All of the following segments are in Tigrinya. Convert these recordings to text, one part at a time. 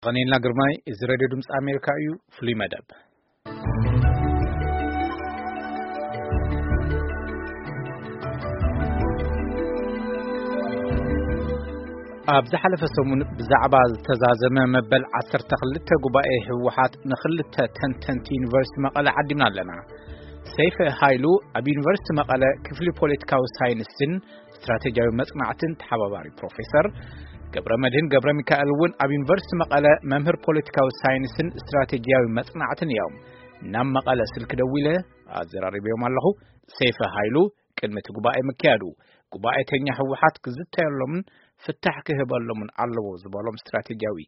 ቐኔልና ግርማይ፣ እዚ ሬድዮ ድምፂ ኣሜሪካ እዩ። ፍሉይ መደብ። ኣብ ዝሓለፈ ሰሙን ብዛዕባ ዝተዛዘመ መበል ዓሰርተ ክልተ ጉባኤ ህወሓት ንክልተ ተንተንቲ ዩኒቨርሲቲ መቐለ ዓዲምና ኣለና። ሰይፈ ሃይሉ ኣብ ዩኒቨርሲቲ መቐለ ክፍሊ ፖለቲካዊ ሳይንስን ስትራቴጂያዊ መጽናዕትን ተሓባባሪ ፕሮፌሰር፣ ገብረ መድህን ገብረ ሚካኤል እውን ኣብ ዩኒቨርሲቲ መቐለ መምህር ፖለቲካዊ ሳይንስን ስትራቴጂያዊ መጽናዕትን እዮም። ናብ መቐለ ስልኪ ደዊለ ኣዘራሪበዮም ኣለኹ። ሰይፈ ሃይሉ ቅድሚ እቲ ጉባኤ ምክያዱ፣ ጉባኤተኛ ህወሓት ክዝተየሎምን ፍታሕ ክህበሎምን ኣለዎ ዝበሎም ስትራቴጂያዊ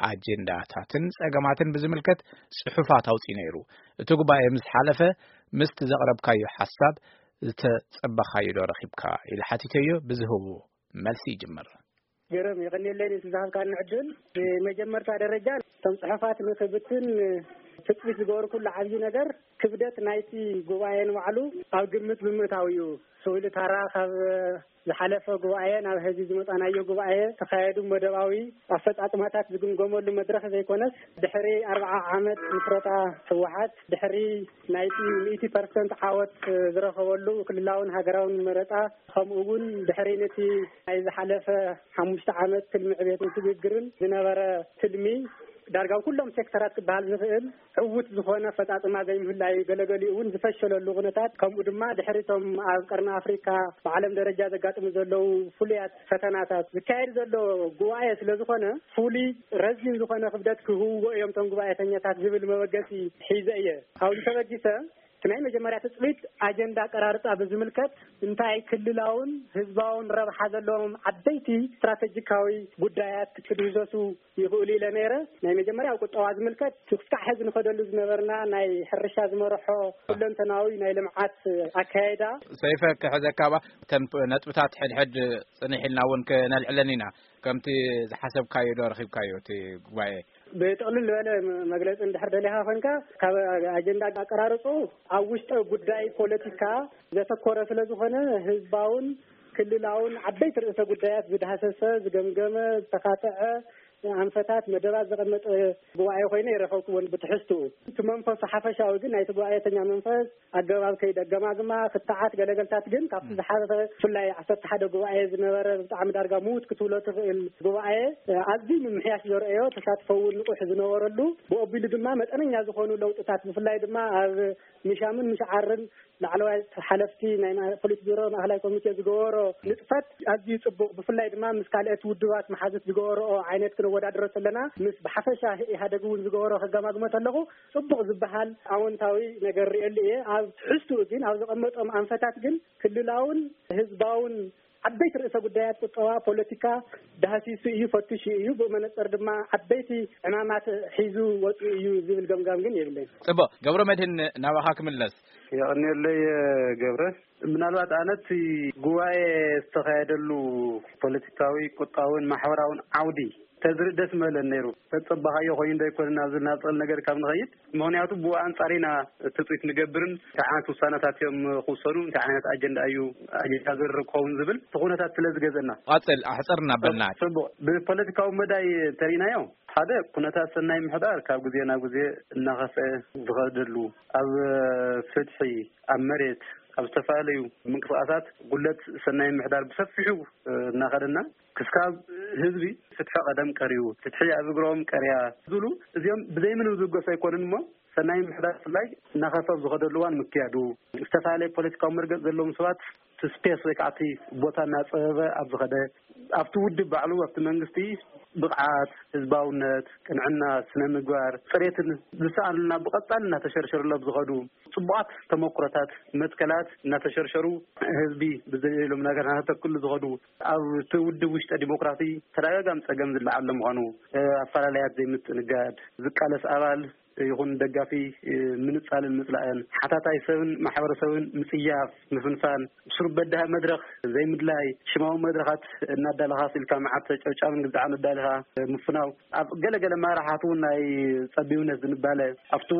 ኣጀንዳታትን ጸገማትን ብዝምልከት ጽሑፋት ኣውጺኡ ነይሩ። እቲ ጉባኤ ምስ ሓለፈ፣ ምስቲ ዘቕረብካዮ ሓሳብ ዝተጸበኻዮ ዶ ረኺብካ? ኢለ ሓቲተዮ። ብዝህቦ መልሲ ይጅምር። ገረም፣ የቐንየለይ ነቲ ዝሃብካኒ ዕድል። ብመጀመርታ ደረጃ፣ እቶም ጽሑፋት ንኽብትን ትጽቢት ዝገበርኩሉ ዓብዪ ነገር፣ ክብደት ናይቲ ጉባኤ ንባዕሉ ኣብ ግምት ብምእታው እዩ። ስእሊ ታራ ካብ ዝሓለፈ ጉባኤ ናብ ሕዚ ዝመጻናዮ ጉባኤ ተኻየዱ መደባዊ ኣፈጻጽማታት ዝግምገመሉ መድረኽ ዘይኮነስ፣ ድሕሪ ኣርብዓ ዓመት ምስረታ ህወሓት፣ ድሕሪ ናይቲ ሚእቲ ፐርሰንት ዓወት ዝረኸበሉ ክልላውን ሃገራውን መረጻ፣ ከምኡ እውን ድሕሪ ነቲ ናይ ዝሓለፈ ሓሙሽተ ዓመት ትልሚ ዕቤትን ስግግርን ዝነበረ ትልሚ፣ ዳርጋ ኣብ ኩሎም ሴክተራት ክበሃል ዝኽእል ዕዉት ዝኾነ ኣፈጻጽማ ዘይምህላዩ፣ ገለገሊኡ እውን ዝፈሸለሉ ኩነታት፣ ከምኡ ድማ ድሕሪቶም ኣብ ቀርኒ ኣፍሪካ ብዓለም ደረጃ ዘጋጥሙ ዘለዉ ፍሉያት ፈተናታት ዝካየድ ዘሎ ጉባኤ ስለ ዝኾነ፣ ፍሉይ ረዚን ዝኾነ ክብደት ክህብዎ እዮም እቶም ጉባኤተኛታት ዝብል መበገሲ ሒዘ እየ። ካብዚ ተበጊሰ፣ እቲ ናይ መጀመርያ ትጽቢት ኣጀንዳ ኣቀራርጻ ብዝምልከት፣ እንታይ ክልላውን ህዝባውን ረብሓ ዘለዎም ዓበይቲ ስትራቴጂካዊ ጉዳያት ክድህሰሱ ይኽእሉ ኢለ ነይረ። ናይ መጀመርያ ኣብ ቁጠባ ዝምልከት፣ ክሳዕ ሕዚ ንኸደሉ ዝነበርና ናይ ሕርሻ ዝመርሖ ኩለንተናዊ ናይ ልምዓት ኣካየዳ። ሰይፈ፣ ክሕዘካ ባ፣ እተን ነጥብታት ሕድሕድ ጽንሕ ኢልና እውን ክነልዕለን ኢና። ከምቲ ዝሓሰብካዮ ዶ ረኺብካዮ እቲ ጉባኤ? ብጥቕልል ዝበለ መ-፣ መግለጺ እንድሕር ደሊኻ ኮንካ፣ ካብ ኣጀንዳ ኣቀራርጹ፣ ኣብ ውሽጠ ጉዳይ ፖለቲካ ዘተኮረ ስለ ዝኾነ፣ ህዝባውን ክልላውን ዓበይቲ ርእሰ ጉዳያት ዝዳህሰሰ፣ ዝገምገመ፣ ዝተኻተዐ ኣንፈታት፣ መደባት ዘቐመጠ ጉባኤ ኮይነ ይረኸብኩዎን ብትሕዝትኡ። እቲ መንፈሱ ሓፈሻዊ ግን፣ ናይቲ ጉባኤተኛ መንፈስ፣ ኣገባብ ከይዲ ኣገማግማ፣ ክትዓት፣ ገለገልታት ግን ካብቲ ዝሓለፈ፣ ብፍላይ ዓሰርተ ሓደ ጉባኤ ዝነበረ ብጣዕሚ ዳርጋ ምዉት ክትብሎ ትኽእል ጉባኤ፣ ኣዝዩ ምምሕያሽ ዘርእዮ፣ ተሳትፎ እውን ንቑሕ ዝነበረሉ፣ ብኦቢሉ ድማ መጠነኛ ዝኾኑ ለውጥታት፣ ብፍላይ ድማ ኣብ ምሻምን ምሽዓርን ላዕለዋይ ሓለፍቲ ናይ ማ-፣ ፖሊት ቢሮ ማእኸላይ ኮሚቴ ዝገበሮ ንጥፈት ኣዝዩ ጽቡቕ፣ ብፍላይ ድማ ምስ ካልኦት ውድባት መሓዙት ዝገበረኦ ዓይነት ክነወዳድሮ ከለና፣ ምስ ብሓፈሻ ኢህኣደግ እውን ዝገበሮ ከገማግሞ ከለኹ፣ ጽቡቕ ዝበሃል ኣወንታዊ ነገር ርእየሉ እየ። ኣብ ትሕዝትኡ ግን፣ ኣብ ዘቐመጦም ኣንፈታት ግን፣ ክልላውን ህዝባውን ዓበይቲ ርእሰ ጉዳያት ቁጠባ፣ ፖለቲካ ዳህሲሱ እዩ፣ ፈትሹ እዩ። ብኡ መነጽር ድማ ዓበይቲ ዕማማት ሒዙ ወጺኡ እዩ ዝብል ገምጋም ግን የብለይን። ጽቡቕ። ገብረ መድህን፣ ናባኻ ክምለስ። የቐንየለይ ገብረ። ምናልባት ኣነ እቲ ጉባኤ ዝተኻየደሉ ፖለቲካዊ፣ ቁጠባውን ማሕበራውን ዓውዲ ተዝርኢ ደስ ምበለን ነይሩ። ተጸባኻዮ ኮይኑ ዶ ኣይኮነን ኣብዚ ናብ ጥቕል ነገር ካብ ንኸይድ፣ ምኽንያቱ ብኡ ኣንጻር ኢና ትጽቢት ንገብርን እንታይ ዓይነት ውሳነታት እዮም ክውሰኑ፣ እንታይ ዓይነት ኣጀንዳ እዩ ኣጀንዳ ዝርርብ ክኸውን ዝብል እቲ ኩነታት ስለ ዝገዘና። ቐጽል፣ ኣሕጽር እናበልና። ጽቡቕ። ብፖለቲካዊ መዳይ እንተሪእናዮ፣ ሓደ ኩነታት ሰናይ ምሕዳር ካብ ግዜ ናብ ግዜ እናኸፍአ ዝኸደሉ፣ ኣብ ፍትሒ፣ ኣብ መሬት፣ ኣብ ዝተፈላለዩ ምንቅስቃሳት ጉለት ሰናይ ምሕዳር ብሰፊሑ እናኸደና፣ ክስካብ ህዝቢ ፍትሒ ቀደም ቀርዩ፣ ፍትሒ ኣብ እግሮም ቀርያ ዝብሉ፣ እዚኦም ብዘይ ምንም ዝብገሱ ኣይኮኑን እሞ፣ ሰናይ ምሕዳር ብፍላይ እናኸፍአ ኣብ ዝኸደሉ እዋን ምክያዱ፣ ዝተፈላለየ ፖለቲካዊ መርገጽ ዘለዎም ሰባት እቲ ስፔስ ወይ ከዓ እቲ ቦታ እናጸበበ ኣብ ዝኸደ፣ ኣብቲ ውድብ ባዕሉ፣ ኣብቲ መንግስቲ ብቕዓት፣ ህዝባውነት፣ ቅንዕና፣ ስነ ምግባር፣ ጽሬትን ዝሰኣኑና ብቐጻሊ እናተሸርሸሩሉ ኣብ ዝኸዱ፣ ጽቡቓት ተመኩሮታት፣ መትከላት እናተሸርሸሩ፣ ህዝቢ ብዘይሎም ነገር እናተተክሉ ዝኸዱ፣ ኣብቲ ውድብ ውሽጠ ዲሞክራሲ ተደጋጋሚ ጸገም ዝለዓለ ምዃኑ፣ እ፣ ኣፈላለያት ዘይምትእንጋድ፣ ዝቃለስ ኣባል ይኹን ደጋፊ፣ እ፣ ምንጻልን ምጽላእን፣ ሓታታይ ሰብን ማሕበረሰብን ምጽያፍ፣ ምፍንፋን፣ ብስሩ በዳሂ መድረኽ ዘይምድላይ፣ ሽማዊ መድረኻት እናዳለኻ ስኢልካ መዓት ጨብጫብን ግዛዕን ኣዳሊኻ ምፍናው፣ ኣብ ገለገለ መራሕቲ እውን ናይ ጸቢብነት ዝንባለ፣ ኣብቱ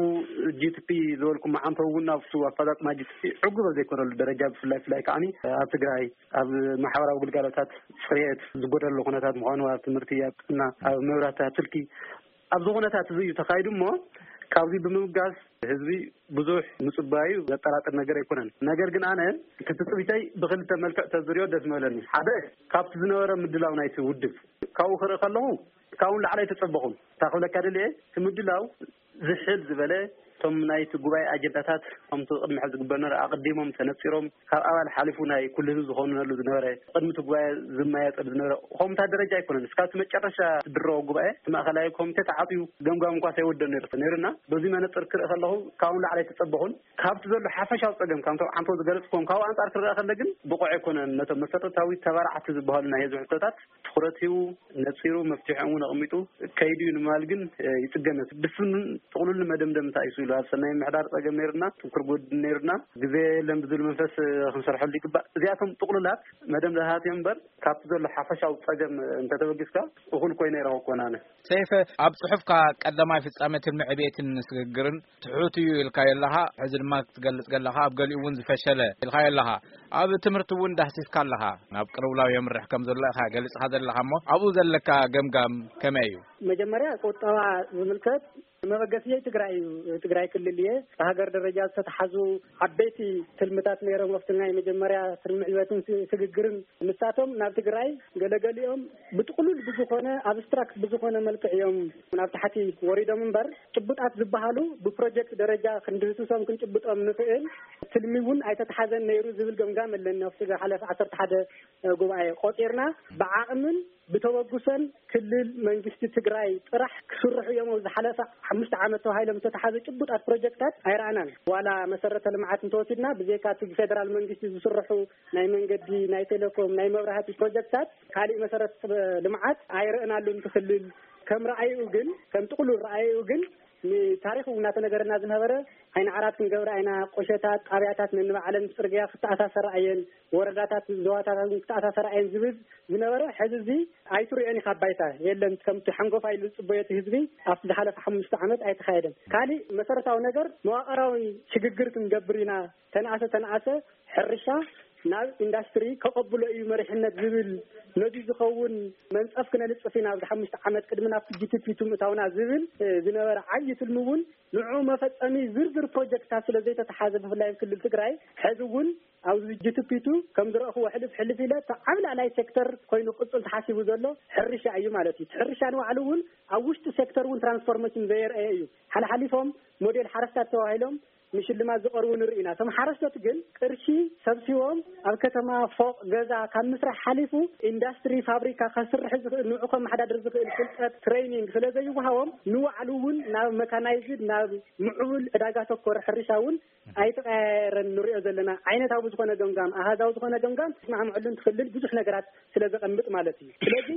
ጂ ቲ ፒ ዝበልኩ መዓንተው እውን ኣብቱ ኣፈጻጽማ ጂ ቲ ፒ ዕጉብ ኣብ ዘይኮነሉ ደረጃ፣ ብፍላይ፣ ብፍላይ ከዓኒ ኣብ ትግራይ ኣብ ማሕበራዊ ግልጋሎታት ጽሬት ዝጎደሎ ኩነታት ምዃኑ፣ ኣብ ትምህርቲ፣ ኣብ ጥዕና፣ ኣብ መብራህቲ፣ ኣብ ስልኪ ኣብዚ ኩነታት እዚ እዩ ተኻይዱ እሞ፣ ካብዚ ብምብጋስ ህዝቢ ብዙሕ ምጽባዩ ዘጠራጥር ነገር ኣይኮነን። ነገር ግን ኣነ እቲ ትጽቢተይ ብኽልተ መልክዕ ተዝሪኦ ደስ ምበለኒ። ሓደ፣ ካብቲ ዝነበረ ምድላው ናይቲ ውድብ ካብኡ ክርኢ ከለኹ ካብኡ ንላዕሊ ኣይተጸበኹን። እታ ክብለካ ደልየ፣ እቲ ምድላው ዝሕል ዝበለ፣ እቶም ናይቲ ጉባኤ ኣጀንዳታት ከምቲ ቅድሚ ሕዚ ዝግበር ነበረ ኣቐዲሞም ተነጺሮም፣ ካብ ኣባል ሓሊፉ ናይ ኩሉ ህዝቢ ዝኾነሉ ዝነበረ፣ ቅድሚ እቲ ጉባኤ ዝመያየጠሉ ዝነበረ፣ ከምታ ደረጃ ኣይኮነን። እስካብ እቲ መጨረሻ ዝድረዎ ጉባኤ እቲ ማእኸላይ ኮሚቴ ተዓፅዩ ገምጋም እንኳ ሳይወደን ነይሩ ነይሩና። በዚ መነፅር ክርኢ ከለኹ ካብኡ ንላዕሊ ኣይተፀበኹን። ካብቲ ዘሎ ሓፈሻዊ ፀገም፣ ከምቶም ዓንቶ ዝገለፅኩም፣ ካብኡ ኣንፃር ክረኣ ከለ ግን ብቑዕ ኣይኮነን። ነቶም መሰረታዊ ተባራዕቲ ዝበሃሉ ናይ ህዝቢ ሕቶታት ትኹረት ሂቡ ነፂሩ መፍትሒኦም እውን ኣቐሚጡ ከይዱ እዩ ንምባል ግን፣ እ፣ ይፅገም። ብስኑን ጥቕሉልን መደምደምታ እዩ ስኢሉ። ኣብ ሰናይ ምሕዳር ፀገም ነይርና፣ ጥንኩር ጎድኒ ነይርና፣ ግዜ የለን ብዝብል መንፈስ፣ እ፣ ክንሰርሐሉ ይግባእ። እዚኣቶም ጥቕሉላት መደምደምታት እዮም እምበር፣ ካብቲ ዘሎ ሓፈሻዊ ፀገም፣ እ፣ እንተተበጊስካ እኹል ኮይነ ይረኸብኩ ኣነ። ሰይፈ፣ ኣብ ጽሑፍካ ቀዳማይ ፍጻመ ትልሚ ዕቤትን ስግግርን ትሑት እዩ ኢልካዮ ኣለኻ። ሕዚ ድማ ክትገልጽ ከለኻ ኣብ ገሊኡ እውን ዝፈሸለ ኢልካዮ ኣለኻ። ኣብ ትምህርቲ እውን ዳህሲስካ ኣለኻ። ናብ ቅልውላው የምርሕ ከም ዘሎ ኢኻ ገሊጽካ ዘለኻ እሞ፣ ኣብኡ ዘለካ ገምጋም ከመይ እዩ? መጀመርያ ቁጠባ ዝምልከት መበገስየይ ትግራይ እዩ። ትግራይ ክልል እየ። ብሃገር ደረጃ ዝተተሓዙ ዓበይቲ ትልምታት ነይሮም። ኣብቲ ናይ መጀመርያ ትልሚ ዕቤትን ስ-፣ ስግግርን ንሳቶም ናብ ትግራይ ገለገሊኦም ብጥቕሉል ብዝኾነ ኣብስትራክት ብዝኾነ መልክዕ እዮም ናብ ታሕቲ ወሪዶም እምበር፣ ጭቡጣት ዝበሃሉ ብፕሮጀክት ደረጃ ክንድህስሶም ክንጭብጦም ንኽእል ትልሚ እውን ኣይተተሓዘን ነይሩ ዝብል ገምጋም ኣለኒ። ኣብቲ ዝሓለፈ ዓሰርተ ሓደ ጉባኤ ቆፂርና ብዓቕምን ብተበግሶን ክልል መንግስቲ ትግራይ ጥራሕ ክስርሑ እዮም። ኣብ ዝሓለፈ ሓሙሽተ ዓመት ተባሂሎም ዝተተሓዘ ጭቡጣት ፕሮጀክታት ኣይረኣናን። ዋላ መሰረተ ልምዓት እንተወሲድና ብዘይካ እቲ ብፌደራል መንግስቲ ዝስርሑ ናይ መንገዲ፣ ናይ ቴሌኮም፣ ናይ መብራህቲ ፕሮጀክታት ካሊእ መሰረተ ልምዓት ኣይረእናሉን። እቲ ክልል ከም ረኣይኡ ግን፣ ከም ጥቕሉል ረኣይኡ ግን ንታሪኽ እውን እናተነገረና ዝነበረ፣ ዓይኒ ዓራት ክንገብራ ኢና፣ ቆሸታት፣ ጣብያታት ነንባዕለን ብፅርግያ ክተኣሳሰራ እየን፣ ወረዳታት፣ ዞባታት እውን ክተኣሳሰራ እየን ዝብል ዝነበረ፣ ሕዚ እዚ ኣይትሪኦን ኢኻ ኣብ ባይታ። የለን፣ ከምቲ ሓንጎፋይ ኢሉ ዝፅበዮ እቲ ህዝቢ ኣብቲ ዝሓለፈ ሓሙሽተ ዓመት ኣይተኻየደን። ካሊእ መሰረታዊ ነገር መዋቕራዊ ሽግግር ክንገብር ኢና፣ ተነኣሰ ተነኣሰ ሕርሻ ናብ ኢንዳስትሪ ከቐብሎ እዩ መሪሕነት ዝብል ነዚ ዝኸውን መንፀፍ ክነንፅፍ ኢና ኣብዚ ሓሙሽተ ዓመት ቅድሚ ናብቲ ጂ ቲ ፒ ቱ ምእታውና ዝብል፣ እ፣ ዝነበረ ዓብዪ ትልሚ እውን ንዕኡ መፈፀሚ ዝርዝር ፕሮጀክትታት ስለ ዘይተተሓዘ ብፍላይ ኣብ ክልል ትግራይ ሕዚ እውን ኣብዚ ጂ ቲ ፒ ቱ ከም ዝረእኽዎ ሕልፍ ሕልፍ ኢለ እቲ ዓብላላይ ሴክተር ኮይኑ ክቕፅል ተሓሲቡ ዘሎ ሕርሻ እዩ ማለት እዩ። እቲ ሕርሻ ንባዕሉ እውን ኣብ ውሽጢ ሴክተር እውን ትራንስፎርሜሽን ዘየርአየ እዩ። ሓልሓሊፎም ሞዴል ሓረስታት ተባሂሎም ንሽልማት ዝቐርቡ ንርኢ ኢና። እቶም ሓረስቶት ግን ቅርሺ ሰብሲቦም ኣብ ከተማ ፎቕ ገዛ ካብ ምስራሕ ሓሊፉ ኢንዳስትሪ ፋብሪካ ከስርሕ ዝኽእል ንዑ ከመሓዳድር ዝኽእል ፍልጠት ትሬኒንግ ስለ ዘይወሃቦም ንባዕሉ እውን ናብ መካናይዝድ ናብ ምዕቡል ዕዳጋ ተኮር ሕርሻ እውን ኣይተቐያየረን ንሪኦ ዘለና። ዓይነታዊ ዝኾነ ገምጋም ኣሃዛዊ ዝኾነ ገምጋም ትስማዕምዐሉን ትኽልል ብዙሕ ነገራት ስለ ዘቐምጥ ማለት እዩ። ስለዚ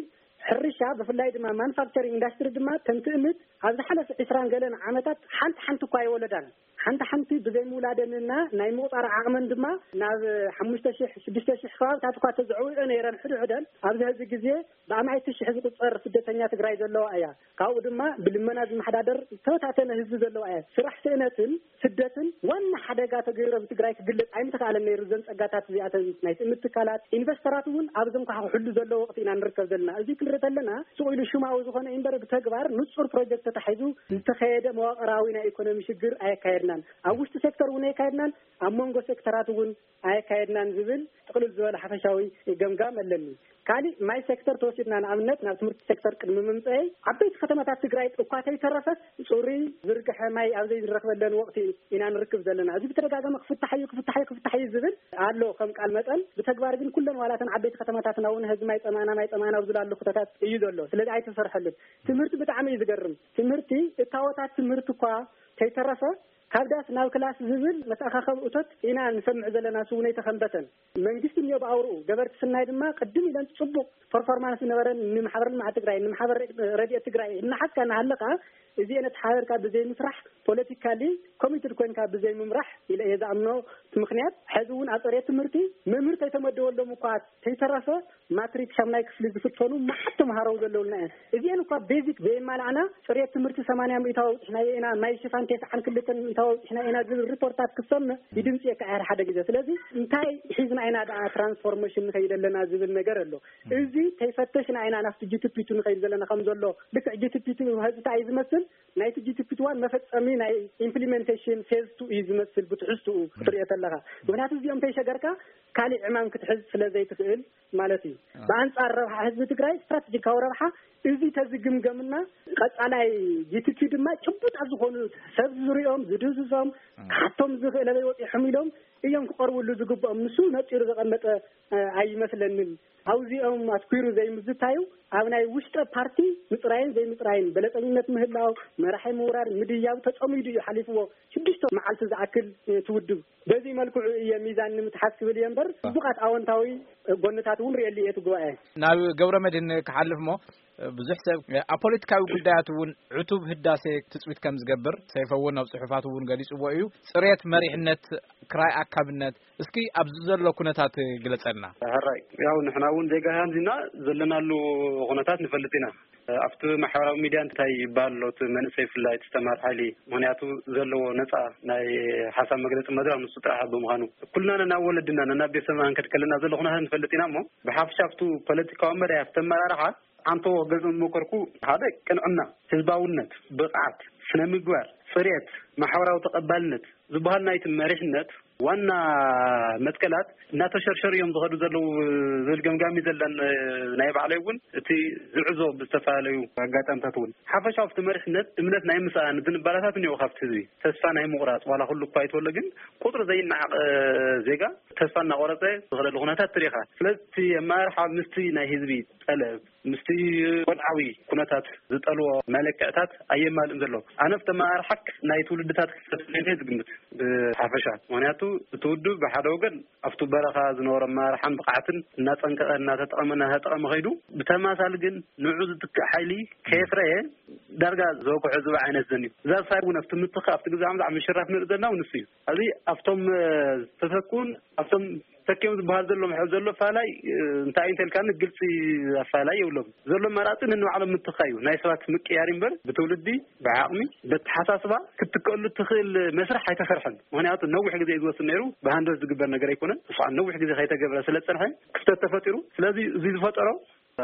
ሕርሻ ብፍላይ ድማ ማኑፋክቸሪንግ ኢንዳስትሪ ድማ ከም ትእምት ኣብ ዝሓለፈ ዕስራን ገለን ዓመታት ሓንቲ ሓንቲ እኳ ኣይወለዳን። ሓንቲ ሓንቲ ብዘይ ምውላደንና ናይ ምቑፃር ዓቕመን ድማ ናብ ሓሙሽተ ሽሕ ሽዱሽተ ሽሕ ከባብታት እኳ ተዘዕውዮ ነይረን ሕድሕደን። ኣብዚ ሕዚ ግዜ ብኣማኢቲ ሽሕ ዝቑፀር ስደተኛ ትግራይ ዘለዋ እያ። ካብኡ ድማ ብልመና ዝመሓዳደር ዝተበታተነ ህዝቢ ዘለዋ እያ። ስራሕ ስእነትን ስደትን ዋና ሓደጋ ተገይሩ ኣብ ትግራይ ክግለፅ ኣይምተኻእለን ነይሩ። እዘን ፀጋታት እዚኣተን ናይ ትእምት ትካላት ኢንቨስተራት እውን ኣብዞም ከዓ ክሕሉ ዘለዎ ወቕቲ ኢና ንርከብ ዘለና። እዚ ክንርኢ ከለና ስቕ ኢሉ ሽማዊ ዝኾነ እዩ እምበር ብተግባር ንፁር ፕሮጀክት ተታሒዙ ዝተኸየደ መዋቕራዊ ናይ ኢኮኖሚ ሽግር ኣየካየድናን። ኣብ ውሽጢ ሴክተር እውን ኣየካየድናን፣ ኣብ መንጎ ሴክተራት እውን ኣየካየድናን ዝብል ጥቕልል ዝበለ ሓፈሻዊ ገምጋም ኣለኒ። ካሊእ ማይ ሴክተር ተወሲድና ንኣብነት ናብ ትምህርቲ ሴክተር ቅድሚ ምምፀአይ ዓበይቲ ከተማታት ትግራይ እኳ ተይተረፈስ ፅሩይ ዝርግሐ ማይ ኣብ ዘይንረኽበለን ወቕቲ ኢና ንርክብ ዘለና። እዚ ብተደጋጋሚ ክፍታሕ እዩ፣ ክፍታሕ እዩ፣ ክፍታሕ እዩ ዝብል ኣሎ ከም ቃል መጠን። ብተግባር ግን ኩለን ዋላተን ዓበይቲ ከተማታትና እውን ሕዚ ማይ ፀማእና፣ ማይ ፀማእና ኣብ ዝላሉ ኩነታት እዩ ዘሎ። ስለዚ ኣይተሰርሐሉን። ትምህርቲ ብጣዕሚ እዩ ዝገርም። ትምህርቲ እታወታት ትምህርቲ እኳ ተይተረፈ ካብ ዳስ ናብ ክላስ ዝብል መተኣኻኸቢ እቶት ኢና ንሰምዕ ዘለና። ስውነይ ተኸንበተን መንግስቲ እኒኦ ብኣውርኡ ገበርቲ ስናይ ድማ ቅድም ኢለን ፅቡቕ ፐርፎርማንስ ዝነበረን ንማሕበር ልምዓት ትግራይ ንማሕበር ረድኤት ትግራይ እናሓዝካ እናሃለኻ እዚኤን ኣተሓባቢርካ ብዘይምስራሕ፣ ፖለቲካሊ ኮሚትድ ኮይንካ ብዘይምምራሕ ኢለ እየ ዝኣምኖ። እቲ ምኽንያት፣ ሕዚ እውን ኣብ ፅሬት ትምህርቲ መምህር ከይተመደበሎም እኳ ከይተረፈ፣ ማትሪክ ሻምናይ ክፍሊ ዝፍተኑ መዓት ተምሃሮ ዘለውና እየን። እዚኤን እኳ ቤዚክ ዘየማላዕና፣ ፅሬት ትምህርቲ ሰማንያ ሚእታዊ ኣውፂሕናዮ ኢና፣ ማይ ሽፋን ተስዓን ክልተን ሚእታዊ ኣውፂሕናዮ ኢና ዝብል ሪፖርታት ክሰምዕ ይድምፅየካ እየ ሓደ ግዜ። ስለዚ እንታይ ሒዝና ኢና ደኣ ትራንስፎርሜሽን ንኸይድ ኣለና ዝብል ነገር ኣሎ። እዚ ከይፈተሽና ኢና ናብቲ ጂ ቲ ፒ ቱ ንኸይድ ዘለና ከም ዘሎ። ልክዕ ጂ ቲ ፒ ቱ ሕዚ እንታይ እዩ ዝመስል? ናይቲ ጂ ቲ ፒ ቱ ዋን መፈጸሚ ናይ ኢምፕሊሜንቴሽን ፌዝ ቱ እዩ ዝመስል ብትሕዝትኡ ክትሪኦ ተለኻ። ምኽንያቱ እዚኦም ከይሸገርካ ካሊእ ዕማም ክትሕዝ ስለ ዘይትኽእል ማለት እዩ። ብኣንጻር ረብሓ ህዝቢ ትግራይ፣ ስትራቴጂካዊ ረብሓ፣ እዚ ተዝግምገምና፣ ቀጻላይ ጂ ቲ ፒ ቱ ድማ ጭቡጣት ዝኾኑ ሰብ ዝሪኦም፣ ዝድህስሶም፣ ክሓቶም ዝኽእል ኣበይ ወፂሖም ኢሎም እዮም ክቐርብሉ ዝግብኦም። ንሱ ነፂሩ ዘቐመጠ፣ እ፣ ኣይመስለንን። ኣብዚኦም ኣትኲሩ ዘይምዝታዩ፣ ኣብ ናይ ውሽጠ ፓርቲ ምፅራይን ዘይምፅራይን፣ በለፀኝነት ምህላው፣ መራሒ ምውራድ፣ ምድያብ ተፀሚዱ እዩ ሓሊፍዎ። ሽዱሽተ መዓልቲ ዝኣክል፣ እ፣ ትውድብ። በዚ መልክዑ እየ ሚዛን ንምትሓዝ ክብል እየ እምበር፣ ጽቡቓት ኣወንታዊ ጎንታት እውን ርእየሉ እየ እቲ ጉባኤ። ናብ ገብረ መድህን ክሓልፍ እሞ፣ ብዙሕ ሰብ ኣብ ፖለቲካዊ ጉዳያት እውን ዕቱብ ህዳሴ ትጽቢት ከም ዝገብር ሰይፈ እውን ኣብ ጽሑፋት እውን ገሊጽዎ እዩ። ጽሬት መሪሕነት ክራይ ኣካብነት፣ እስኪ ኣብዚ ዘሎ ኩነታት ግለጸልና። ሕራይ፣ ያው ንሕና እውን ዜጋ ሃንዚና ዘለናሉ ኩነታት ንፈልጥ ኢና። ኣብቲ ማሕበራዊ ሚድያ እንታይ ይበሃል ኣሎ? እቲ መንእሰይ ብፍላይ እቲ ዝተማር ሓይሊ፣ ምኽንያቱ ዘለዎ ነፃ ናይ ሓሳብ መግለፂ መድረኽ ንሱ ጥራሕ ብምዃኑ፣ ኩልና ነናብ ወለድና ነናብ ቤተሰብና ክንከድ ከለና ዘሎ ኩነታት ንፈልጥ ኢና እሞ፣ ብሓፈሻ ኣብቱ ፖለቲካዊ መዳይ ኣብቲ ኣመራርሓ ዓንተዎ ክገልፅ ዝሞከርኩ፣ ሓደ ቅንዕና፣ ህዝባውነት፣ ብቕዓት፣ ስነ ምግባር፣ ፅሬት፣ ማሕበራዊ ተቐባልነት ዝበሃል ናይቲ መሪሕነት ዋና መትከላት እናተሸርሸሩ እዮም ዝኸዱ ዘለዉ ዝብል ገምጋሚ ዘለን ናይ ባዕለይ እውን፣ እቲ ዝዕዞ ብዝተፈላለዩ ኣጋጣሚታት እውን ሓፈሻዊ ኣብቲ መሪሕነት እምነት ናይ ምስኣን ዝንባላታት እኒኦ ካብቲ ህዝቢ ተስፋ ናይ ምቑራፅ ዋላ ኩሉ እኳ ይትወሎ ግን ቁፅሪ ዘይነዓቕ ዜጋ ተስፋ እናቆረፀ ዝኸደሉ ኩነታት ትሪኻ። ስለዚ እቲ ኣመራርሓ ምስቲ ናይ ህዝቢ ጠለብ ምስቲ ወድዓዊ ኩነታት ዝጠልዎ መለክዕታት ኣየማልእን ዘሎ። ኣነ ኣብቲ ኣመራርሓ ናይ ትውልድታት ክፍተት ኢለ ዝግምት ብሓፈሻ። ምኽንያቱ እቲ ውድብ ብሓደ ወገን ኣብቲ በረኻ ዝነበሮ ኣመራርሓን ብቕዓትን እናጸንቀቐ እናተጠቐመ እናተጠቐመ ከይዱ፣ ብተማሳሊ ግን ንዑ ዝትክእ ሓይሊ ከየፍረየ ዳርጋ ዘወግሖ ዝብኢ ዓይነት ዘንዩ። እዛ ሳይ እውን ኣብቲ ምትኻ ኣብቲ ግዜ ኣምዛዕ ምሽራፍ ንርኢ ዘለና እውን ንሱ እዩ። ኣብዚ ኣብቶም ዝተተኩን ኣብቶም ተኪኦም ዝበሃል ዘሎ ምሕብ ዘሎ ፋላይ እንታይ እዩ እንተልካኒ ግልፂ ኣፋላይ የብሎም። ዘሎ መራፂ ንንባዕሎም ምትኻ እዩ። ናይ ሰባት ምቅያር እምበር ብትውልዲ ብዓቕሚ ብተሓሳስባ ክትትከሉ ትኽእል መስርሕ ኣይተሰርሐን። ምኽንያቱ ነዊሕ ግዜ እዩ ዝወስድ ነይሩ። ብሃንደበት ዝግበር ነገር ኣይኮነን። እሱ ከዓ ነዊሕ ግዜ ከይተገብረ ስለ ዝፀንሐ ክፍተት ተፈጢሩ። ስለዚ እዚ ዝፈጠሮ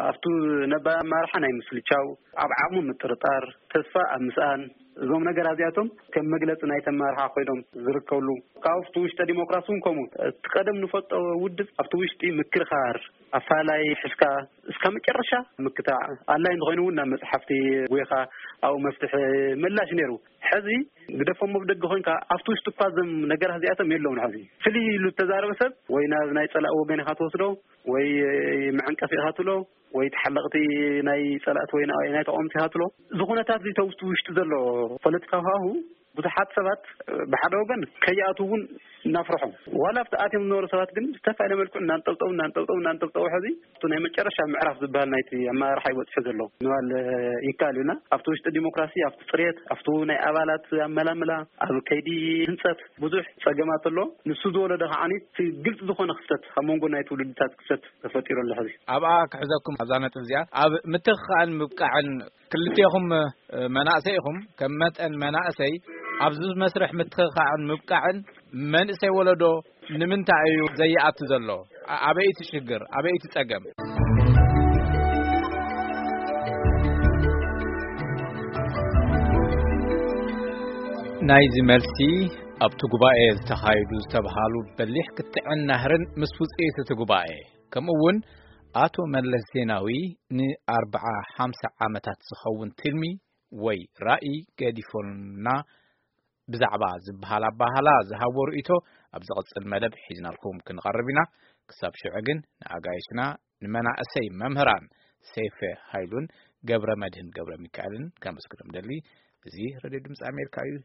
ኣብቱ ነባር ኣመራርሓ ናይ ምስልቻው፣ ኣብ ዓቕሙ ምጥርጣር፣ ተስፋ ኣብ ምስኣን፣ እዞም ነገራት እዚኣቶም ከም መግለፂ ናይቲ ኣመራርሓ ኮይኖም ዝርከብሉ። ካብኡ ኣብቲ ውሽጠ ዲሞክራሲ እውን ከምኡ። እቲ ቀደም ንፈልጦ ውድብ ኣብቲ ውሽጢ ምክርኻር፣ ኣፋላይ ሒዝካ እስካብ መጨረሻ ምክታዕ፣ ኣድላይ እንተኾይኑ እውን ናብ መፅሓፍቲ ጎይኻ ኣብኡ መፍትሒ ምላሽ ነይሩ። ሕዚ ግደፎሞ ብደገ ኮይንካ ኣብቲ ውሽጢ እኳ እዞም ነገራት እዚኣቶም የለውን። ሕዚ ፍልይ ኢሉ ዝተዛረበ ሰብ ወይ ናብ ናይ ፀላእ ወገን ኢኻ ትወስዶ ወይ መዐንቀፊ ኢኻ ትብሎ ወይ ተሓለቕቲ ናይ ፀላእቲ ወይ ናይ ተቃወምቲ ኢኻ ትብሎ። እዚ ኩነታት እዚ ተውስቲ ውሽጢ ዘሎ ፖለቲካዊ ሃሁ ብዙሓት ሰባት ብሓደ ወገን ከይኣትዉ እውን እናፍርሖም፣ ዋላ ኣብቲ ኣትዮም ዝነበሩ ሰባት ግን ዝተፈላለየ መልክዑ እናንጠብጠቡ እናንጠብጠቡ እናንጠብጠቡ ሕዚ እቲ ናይ መጨረሻ ምዕራፍ ዝበሃል ናይቲ ኣመራርሓ ይበፅሑ ዘሎ ምባል ይከኣል እዩና። ኣብቲ ውሽጢ ዲሞክራሲ፣ ኣብቲ ፅሬት፣ ኣብቲ ናይ ኣባላት ኣመላምላ፣ ኣብ ከይዲ ህንፀት ብዙሕ ፀገማት ኣሎ። ንሱ ዝወለዶ ከዓኒ እቲ ግልፂ ዝኾነ ክፍተት ኣብ መንጎ ናይ ትውልድታት ክፍተት ተፈጢሩ ኣሎ። ሕዚ ኣብኣ ክሕዘኩም ኣብዛ ነጥብ እዚኣ፣ ኣብ ምትኽኻእን ምብቃዕን ክልቴኹም፣ እ፣ መናእሰይ ኢኹም። ከም መጠን መናእሰይ ኣብዚ መስርሕ ምትኽኻእን ምብቃዕን መንእሰይ ወለዶ ንምንታይ እዩ ዘይኣቱ ዘሎ? ኣ-፣ ኣበይ እቲ ሽግር? ኣበይ እቲ ጸገም? ናይዚ መልሲ ኣብቲ ጉባኤ ዝተኻየዱ ዝተብሃሉ በሊሕ ክትዕን ናህርን ምስ ውጽኢት እቲ ጉባኤ፣ ከምኡ እውን ኣቶ መለስ ዜናዊ ንኣርብዓ ሓምሳ ዓመታት ዝኸውን ትልሚ ወይ ራእይ ገዲፎልና ብዛዕባ ዝበሃል ኣባህላ ዝሃቦ ርእይቶ ኣብ ዝቕጽል መደብ ሒዝናልኩም ክንቐርብ ኢና። ክሳብ ሽዑ ግን ንኣጋይሽና ንመናእሰይ መምህራን ሰይፈ ሃይሉን ገብረ መድህን ገብረ ሚካኤልን ከመስግኖም ደሊ። እዚ ሬድዮ ድምፂ ኣሜሪካ እዩ።